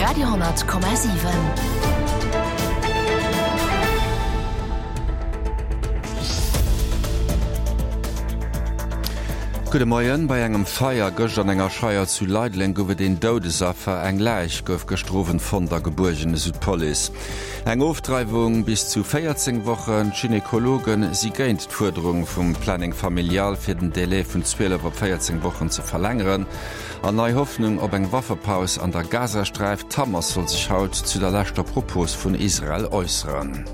Radio,7. Gudde Moien. Bei engem Feier gëscht an enger Scheier zu Leideleng gouf et een Doudesaffer. Eng Läich gouf gëschter Owend fonnt a gebuergen, esou d'Police. Eng Ofdreiwung bis zu 14 Wochen, D'Gynekologe si géint d'Fuerderung vum Planning familial, fir den Délai vun 12 op 14 Wochen ze verlängeren. An nei Hoffnung op eng Waffepaus an der Gazasträif, D'Hamas soll sech haut zu der leschter Propos vun Israel äusseren.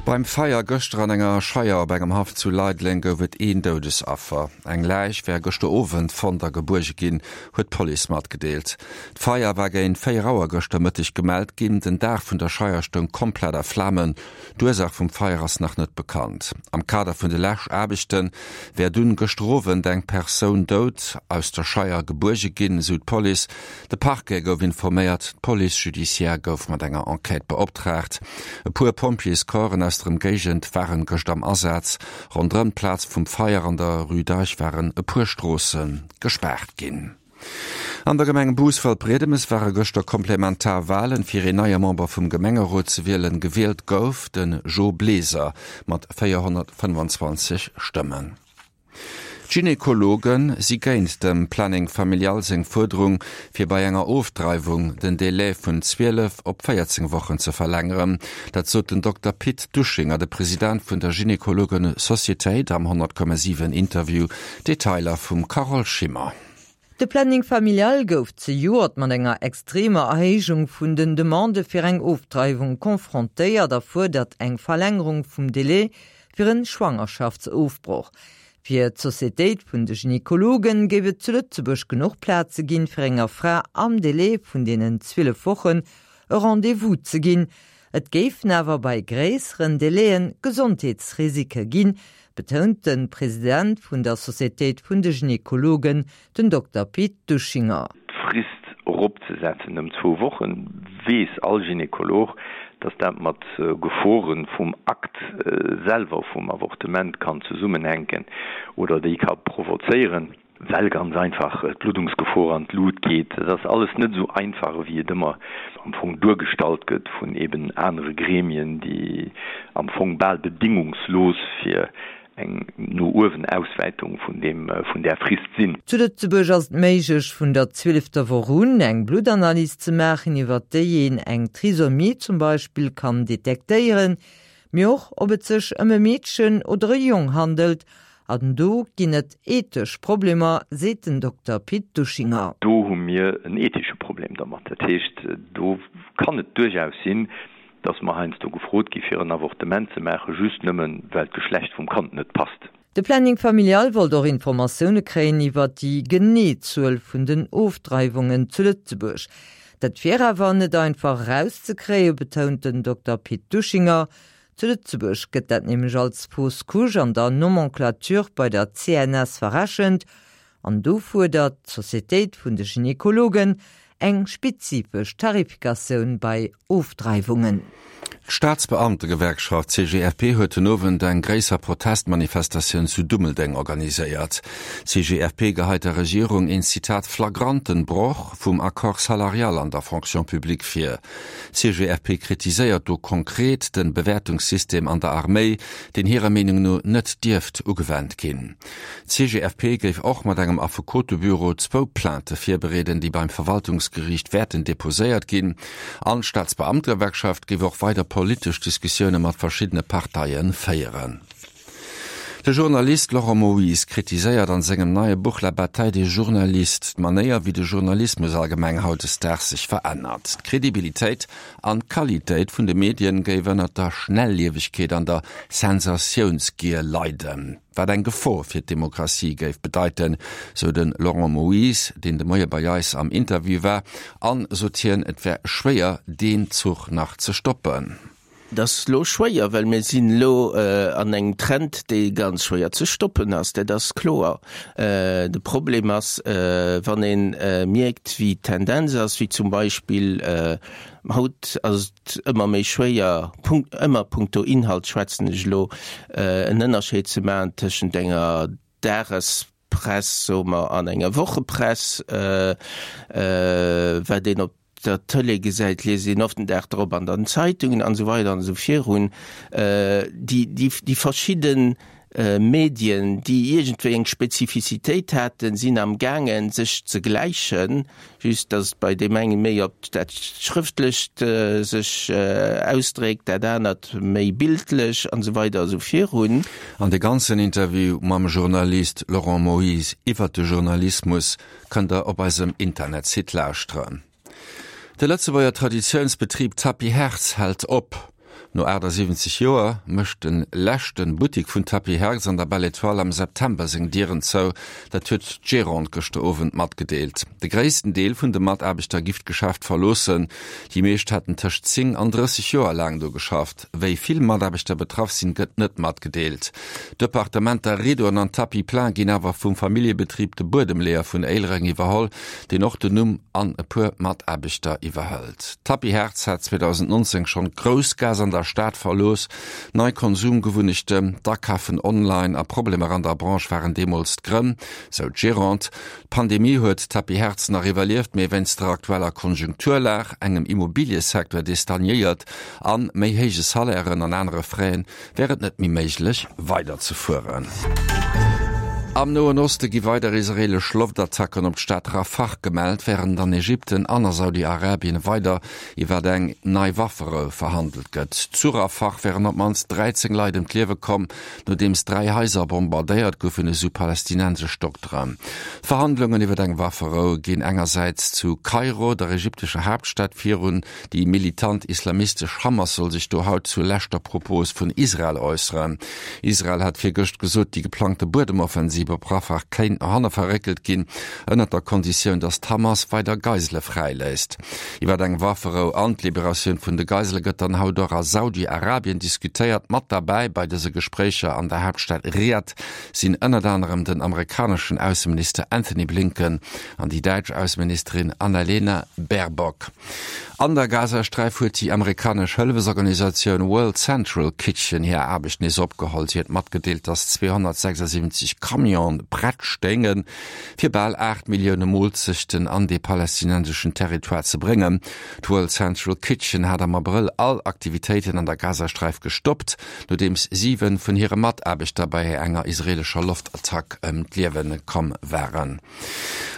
Beim Feier gëschter an enger Scheier op engem Haff zu Leideleng gouf et een Doudesaffer. Eng Läich wär gëschter Owend fonnt a gebuerge ginn, huet d'Police matgedeelt. D'Feier war géint 4 Auer gëschter Mëtteg gemellt ginn. Den Daach vun der Scheier stoung komplett a Flamen. D'Ursaach vum Feier ass nach net bekannt. Am Kader vun de Läschaarbechte wär dunn gëschter Owend eng Persoun dout aus der Scheier gebuerge ginn, esou d'Police. De Parquet gouf informéiert, d'Police judiciaire gouf mat enger Enquête beoptraagt. E puer Pompjeescorpsen aus der Ëmgéigend waren gëscht am Asaz. Ronderëm d'Plaz vum Feier an der Rue d'Eich waren e puer Stroosse gespaart ginn. An der Gemeng Bous-Waldbriedemes ware gëschter komplementar Walen, fir een neie Member vum Gemengerot ze wielen. Gewielt gouf de Jo Bleser mat 425 Stëmmen. D'Gynekologe si géint dem Planning familial seng Fuerderung, fir bei enger Ofdreiwung den Delai vun 12 op 14 Wochen ze verlängeren. Dat sot den Dokter Pit Duschinger, de President vun der Gynekologen-Societéit am 100,7 Interview. Detailer vum Carole Schimmer. De Planning familial gouf zejoert mat enger extremer Erhéijung vun den Demandë fir eng Ofdreiwung confrontéiert a fuerdert eng Verlängerung vum Delai fir en Schwangerschaftsofbroch. Fir d'Societéit vun de Gynekologen géif et zu Lëtzebuerg genuch Plaze ginn, fir enger Fra am Delai vun deenen 12 Wochen e Rendez-vous ze ginn. Et géifen awer bei gréisseren Delaien Gesondheetsrisike ginn, betount de President vun der Societéit vun de Gynekologen, den Dokter Pit Duschinger. D'Frist eropzesetzen ëm zwou Wochen, weess all Gynekolog, datt dat mat Gefore vum Akt selwer vum Avortement kann zesummenhänken oder déi ka provozéieren. Well ganz einfach d'Bluddungsgefor an d'Lut geet. Et ass alles net esou einfach, ewéi et ëmmer am Fong duergestallt gëtt vun eben anere Gremien, déi am Fong bal bedingungslos fir eng no uewen Auswäitung vun deem, vun där Frist sinn. Zu Lëtzebuerg ass et méiglech, vun der zwielefter Woch un eng Bluttanalys ze maachen, iwwer déi een eng Trisomie zum Beispill kann detektéieren, mee och ob et sech ëm e Meedchen oder e Jong handelt An do ginn et ethesch Problemer, seet den Dokter Pit Duschinger. Do hu mir en ethesche Problem dermat. Dat heescht, do kann et duerchaus sinn, dass mer heiansdo gefrot gi fir en Avortement ze maachen, just nëmmen, well d'Geschlecht vum Kand net passt. De Planning familial wollt och Informatioune kréien iwwer déi genee Zuel vun den Ofdreiwungen zu Lëtzebuerg. Dat wier awer net einfach erauszekréien, betount den Dokter Pit Duschinger. Zu Lëtzebuerg gëtt dat nämlech als Fausse couche an der Nomenclature bei der CNS verrechent an do fuerdert d'Societéit vun de Gynekologen eng spezifesch Tarifikatioun bei Ofdreiwungen. D'Staatsbeamtegewerkschaft CGFP huet den Owend eng gréisser Protestmanifestatioun zu Dummeldeng organiséiert. D'CGFP geheit der Regierung een, Zitat, flagranten Broch vum Accord salarial an der Fonction publique vir. D'CGFP kritiséiert do konkret de Bewäertungssystem an der Arméi, deen hirer Meenung no net dierft ugewennt ginn. D'CGFP géif och mat engem Affekotebüro zwou Plainte virbereeden, déi beim Verwaltungsgeriicht wäerten deposéiert ginn. An d'Staatsbeamtegewerkschaft géif och weider politesch Diskussioune mat verschiddene Parteie féieren. De Journalist Laurent Moyse kritiséiert an sengem neie Buch La bataille des journalistes d'Manéier, wéi de Journalismus allgemeng hautdesdaags sech verännert. D'Credibilitéit an d'Qualitéit vun de Medien géif ënnert der Schnelliewegkeet an der Sensatiounsgier leiden, wat eng Gefor fir d'Demokratie géif bedeiten, sou de Laurent Moyse, deen de Moie bei eis am Interview war. An, sot hien, et wär schwéier, deen Zuch nach ze stoppen. Et ass elo schwéier, well mir sinn elo an engem Trend, dee ganz schwéier ze stoppen ass, dat ass kloer. De Problem ass, wann ee mierkt, wéi d'Tendenz ass, wéi zum Beispill haut ass et ëmmer méi schwéier, ëmmer punkto Inhalt schwätzen ech elo, en Ënnerscheed ze maachen tëschent enger Dages. Dagespress, soe mer, an enger Wochepress, wat een op der Tëlee gesäit, liest een oft den Dag drop an den Zeitungen an esou weider an esou virun. Déi, déi, déi verschidde Medien, déi iergendwéi eng Spezifizitéit haten, sinn am gaangen, sech ze gläichen, just datt et bei deem enge méi op dat Schrëftlecht sech ausdréckt, dat anert méi bildlech an esou weider esou virun. An de ganzen Interview mam Journalist Laurent Moyse iwwert de Journalismus kënnt der op eisem Internetsite lauschteren. De Lëtzebuerger Traditiounsbetrib Tapis Hertz hält op. No 78 Joer mécht de leschte Buttik vun Tapis Hertz an der Belle Etoile am September seng Dieren zou. Dat huet d'Gérante gëschter Owend matgedeelt. De gréissten Deel vun de Mataarbechter giff d'Geschäft verloossen. Déi meescht hätten tëscht 10 an 30 Joer laang do geschafft. Wéi vill Mataarbechter betraff sinn, gëtt net matgedeelt. D'Departementer Rideauen an Tapis plein ginn awer vum Familljebetrib De Buedemleeër vun Éilereng iwwerholl, deen och den Numm an e puer Mataarbechter iwwerhëlt. D'Tapis Hertz hat 2019 schonn d'Groussgaass an der Stad verlooss. Nei Konsumgewunnechten, d'Akafen online a Problemer an der Branche waren deemools d'Grënn, sou d'Gérante. D'Pandemie huet d'Tapis Hertz nach iwwerlieft, mee wéinst der aktueller Konjunkturlag, engem Immobiliësecteur dee stagnéiert an méi héije Salairen an anere Frais, wär et net méi méiglech weiderzefueren. Am Noen Oste gi weider israeelesch Loftattacken op d'Stad Rafah gemellt, wärend an Ägypten an a Saudi-Arabien weider iwwer eng nei Wafferou verhandelt gëtt. Zu Rafah wären op d'mannst 13 Leit ëm d'Liewe komm, nodeems 3 Haiser bombardéiert goufen, esou palästinensesch Dokteren. D'Verhandlungen iwwer eng Wafferou ginn engersäits zu Kairo, der ägyptescher Haaptstad, virun. Déi militant islamistesch Hamas soll sech do haut zur leschter Propos vun Israel äusseren. Israel hat virgëscht gesot, déi geplangte Buedemoffensiv op Rafah kéint no hanne verréckelt ginn, ënnert der Konditioun, datt d'Hamas weider Geisele fräiléisst. Iwwer eng Wafferou an d'Liberatioun vun de Geisele gëtt dann haut och a Saudi-Arabien diskutéiert. Mat derbäi bei dëse Gespréicher an der Haaptstad Riad sinn ënnert anerem den amerikaneschen Ausseminister Anthony Blinken an déi däitsch Ausseministerin Annalena Baerbock. An der Gazasträif huet déi amerikanesch Hëllefesorganisatioun World Central Kitchen hir Aarbecht nees opgeholl. Si huet matgedeelt, datt 276 Camione prett stéingen, fir bal 8 Millioune Moolzechten an de palästinenseschen Territoire ze bréngen. D'World Central Kitchen hat am Abrëll all Aktivitéiten an der Gazasträif gestoppt, nodeems 7 vun hire Mataarbechter bei enger israeelescher Loftattack ëm d'Liewe komm waren.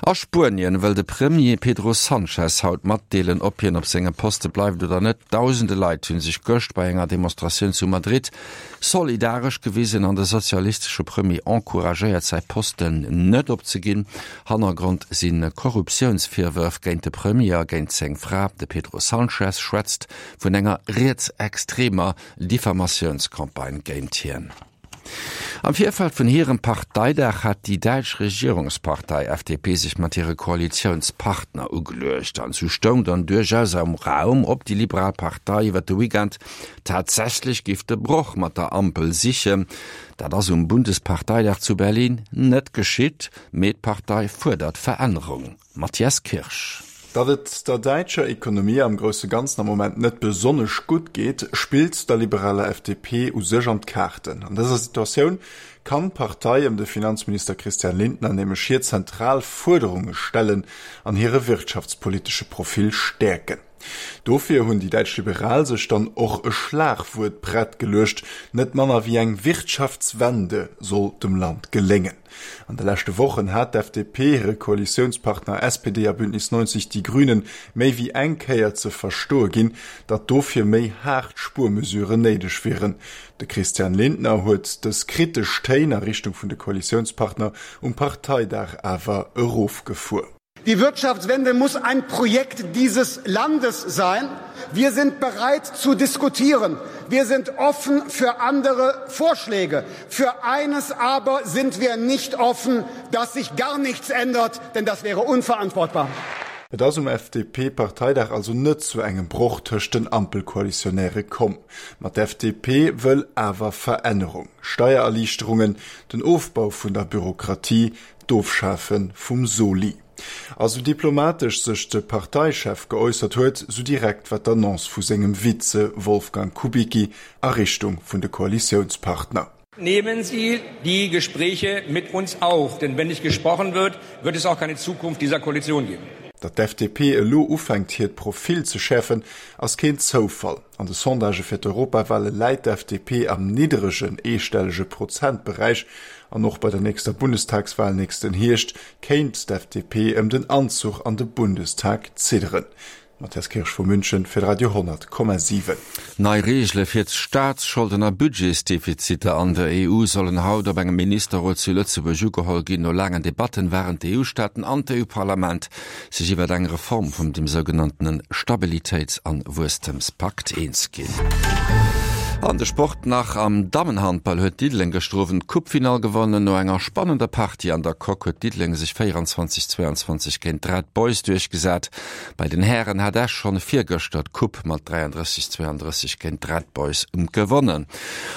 A Spuenien wëll de Premier Pedro Sanchez haut matdeelen, ob hien op sengem Poste bleift oder net. Dausende Leit hu sech gëscht bei enger Demonstratioun zu Madrid solidaresch gewisen an de sozialistesche Premier encouragéiert, säi Posten net opzeginn. Hannergrond si Korruptiounsvirwërf géint de Premier a géint seng Fra. De Pedro Sanchez schwätzt vun enger rietsextremer Diffamatiounscampagne géint hien. Am Virfeld vun hirem Parteidag hat déi däitsch Regierungspartei FDP sech mat hire Koalitiounspartner ugeluecht. An sou stoung dann duerchaus am Raum, ob déi liberal Partei iwwer de Weekend tatsächlech géif de Broch mat der Ampel sichen. Dat ass um Bundesparteidag zu Berlin net geschitt, mee d'Partei fuerdert Verännerung. Matthias Kirsch. Datt et der däitscher Ekonomie am grousse Ganzen am Moment net besonnesch gutt geet, spillt der liberaler FDP u sech an d'Kaarten. An dëser Situatioun kann d'Partei ëm de Finanzminister Christian Lindner nämlech hir zentral Fuerderunge stellen an hire wirtschaftspolitesche Profil stäerken. Dofir hunn déi däitsch Liberal sech dann och e Schlagwuert prett geluecht, Net manner wéi eng Wirtschaftswende soll dem Land geléngen. An de leschte Wochen hat d'FDP hire Koalitiounspartner SPD a Bündnis 90 Die Grünen méi wéi eng Kéier ze verstoe ginn, datt dofir méi haart Spuermesuren néideg wieren. De Christian Lindner huet dës kritesch Téin a Richtung vun de Koalitiounspartner um Parteidag awer erofgefuer. Die Wirtschaftswende muss ein Projekt dieses Landes sein. Wir sind bereit zu diskutieren. Wir sind offen für andere Vorschläge. Für eines aber sind wir nicht offen, dass sich gar nichts ändert, denn das wäre unverantwortbar. Et ass um FDP-Parteidag also net zu engem Broch tëscht den Ampelkoalitionäre komm. Ma d'FDP wëll awer Verännerung, Steiererliichterungen, den Ofbau vun der Bürokratie, D'Ofschafe vum Soli. A sou diplomatesch sech de Parteichef geäussert huet, sou direkt war d'Annonce vu sengem Vize Wolfgang Kubicki a Richtung vun de Koalitiounspartner. Nehmen Sie die Gespräche mit uns auf, denn wenn nicht gesprochen wird, wird es auch keine Zukunft dieser Koalition geben. Datt d'FDP elo ufänkt hiert Profil ze schäerfen, ass keen Zoufall. An de Sondagë fir d'Europawale läit d'FDP am niddregen eestellege Prozentberäich an och bei der nächster Bundestagswal nächsten Hierscht kéint d'FDP ëm den Anzuch an de Bundestag zidderen. Matthias Kirsch vu München fir de Radio 10,7. Nei Reegele fir d'Staatsscholden a Budgetsdefiziter an der EU sollen haut op engem Ministerrot zu Lëtzebuerg ugeholl ginn. No laangen Debatten waren d'EU-Staaten an d'EU-Parlament sech iwwer eng Reform vum dem sougenanntene Stabilitéits an Wuesstemspakt eens ginn. An de Sport nach, Am Dammenhandball huet Diddeleng gëschter Owend d'Coupefinall gewonnen. No enger spannender Partie an der Coque huet Diddeleng sech 24, 22 géint d'Red Boys duerchgesat. Bei den Hären hat Esch schonn virgëschter d'Coupe mat 33, 32 géint d'Red Boys gewonnen.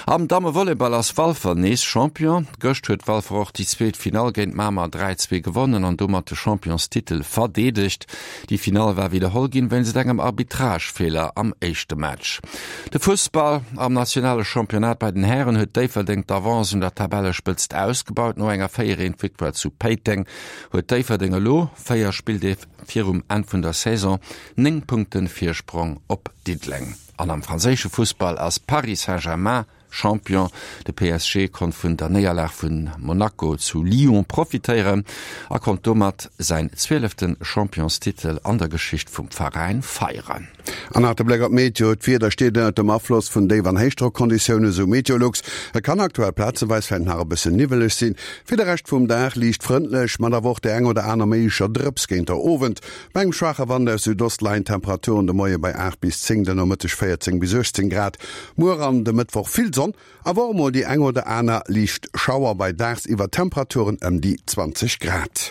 Am Dammevolleyball ass Walfer nees Champion. Gëscht huet Walfer och déi zweet Finall géint Mamer 3, 2 gewonnen an domat de Championstitel verdeedegt. Déi Finall war widderholl ginn wéinst engem Arbitragefeeler am éischte Match. De Fussball, Am nationale Championnat bei den Hären huet Déifferdeng d'Avance un der Tabellespëtzt ausgebaut. No enger 4, 1 Victoire zu Péiteng huet Déifferdeng elo 4 Spilldeeg virum Enn vun der Saison 9 Punkte Virsprong op Diddeleng. An am franséische Fussball ass Paris Saint-Germain Champion. De PSG konnt vun der Néierlag vu Monaco zu Lyon profitéieren a konnt domat säin zwielefte Championstitel an der Geschicht vum Veräin feieren. An nach de Bléck op d'Meteo, D'Wieder steet ënnert dem Afloss vun Déif an Héichdrockonditioune, sou Meteolux. Et kann aktuell plazeweis vläicht nach e bësse niwweleg sinn. Fir de Rescht vum Dag liicht frëndlech, mat awer och där eng oder aner méiglecher Drëps géint der Owend. Bei engem schwaache Wand aus Südost leien d'Temperaturen de Moie bei 8 bis 10, den Nomëtteg 14 bis 18 Grad. Muer an de Mëttwoch vill Sonn, awer och mol déi eng oder aner liicht Schauer bei daagsiwwer Temperaturen ëm déi 20 Grad.